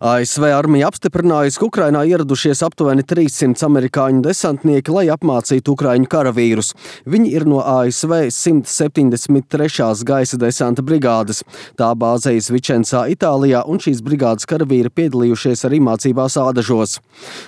ASV armija apstiprinājusi, ka Ukrainā ieradušies aptuveni 300 amerikāņu desantnieki, lai apmācītu ukraiņu karavīrus. Viņi ir no ASV 173. gaisa desanta brigādes. Tā bāzējas Vičencā, Itālijā, un šīs brigādes karavīri piedalījušies arī mācībās Ādažos.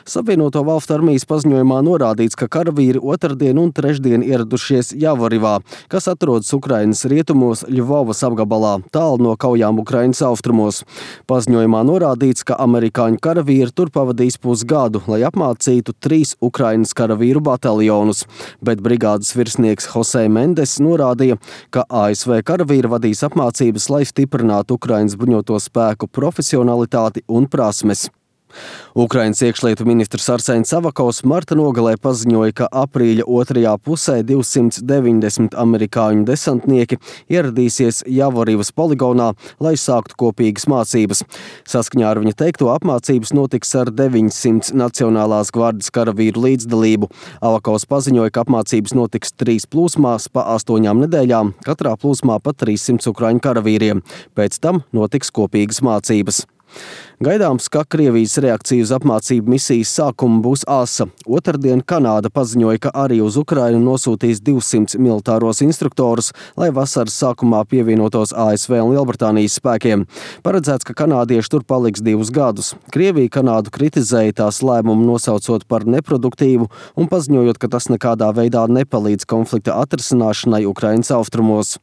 Savienoto valstu armijas paziņojumā norādīts, ka karavīri otrdien un trešdien ieradušies Javorivā, kas atrodas Ukrainas rietumos Ļuvovas apgabalā, tālu no kaujām Ukrainas austrumos. Paziņojumā norādīts, ka amerikāņu karavīri tur pavadīs pusgadu, lai apmācītu 3 Ukrainas karavīru bataljonus, bet brigādes virsnieks Jose Mendes norādīja, ka ASV karavīri vadīs apmācības, lai stiprinātu Ukrainas bruņoto spēku profesionalitāti un prasmes. Ukrainas iekšlietu ministrs Arsēns Avakovs marta nogalē paziņoja, ka aprīļa otrajā pusē 290 amerikāņu desantnieki ieradīsies Javorivas poligonā, lai sāktu kopīgas mācības. Saskaņā ar viņa teikto, apmācības notiks ar 900 Nacionālās gvardes karavīru līdzdalību. Avakovs paziņoja, ka apmācības notiks 3 plūsmās pa 8 nedēļām, katrā plūsmā pa 300 ukraiņu karavīriem. Pēc tam notiks kopīgas mācības. Gaidāms, ka Krievijas reakcija uz apmācību misijas sākumu būs asa. Otrdien Kanāda paziņoja, ka arī uz Ukrainu nosūtīs 200 militāros instruktorus, lai vasaras sākumā pievienotos ASV un Lielbritānijas spēkiem. Paredzēts, ka kanādieši tur paliks 2 gadus. Krievija Kanādu kritizēja tās lēmumu nosaucot par neproduktīvu un paziņojot, ka tas nekādā veidā nepalīdz konflikta atrisināšanai Ukrainas austrumos.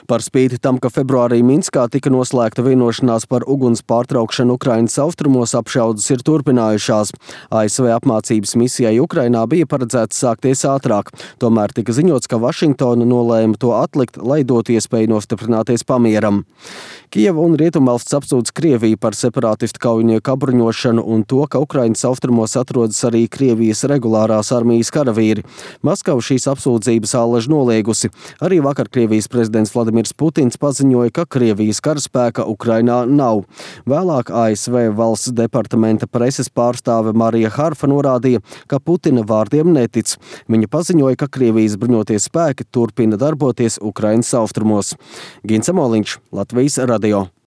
Par spīti tam, ka februārī Minskā tika noslēgta vienošanās par uguns pārtraukšanu Ukrainas austrumos, apšaudes ir turpinājušās. ASV apmācības misijai Ukrainā bija paredzēts sākties ātrāk. Tomēr tika ziņots, ka Vašingtona nolēma to atlikt, lai dotu iespēju nostiprināties pamieram. Kijeva un Rietumvalsts apsūdz Krieviju par separātistu kaujinieku apbruņošanu un to, ka Ukrainas austrumos atrodas arī Krievijas regulārās armijas karavīri. Maskava šīs apsūdzības ālež noliegusi. Arī vakar Krievijas prezidents Vladimirs Putins paziņoja, ka Krievijas karaspēka Ukrainā nav. Vēlāk ASV valsts departamenta preses pārstāve Marija Harfa norādīja, ka Putina vārdiem netic. Viņa paziņoja, ka Krievijas bruņotie spēki turpina darboties Ukrainas austrumos. Gins Amoliņš, Latvijas radio.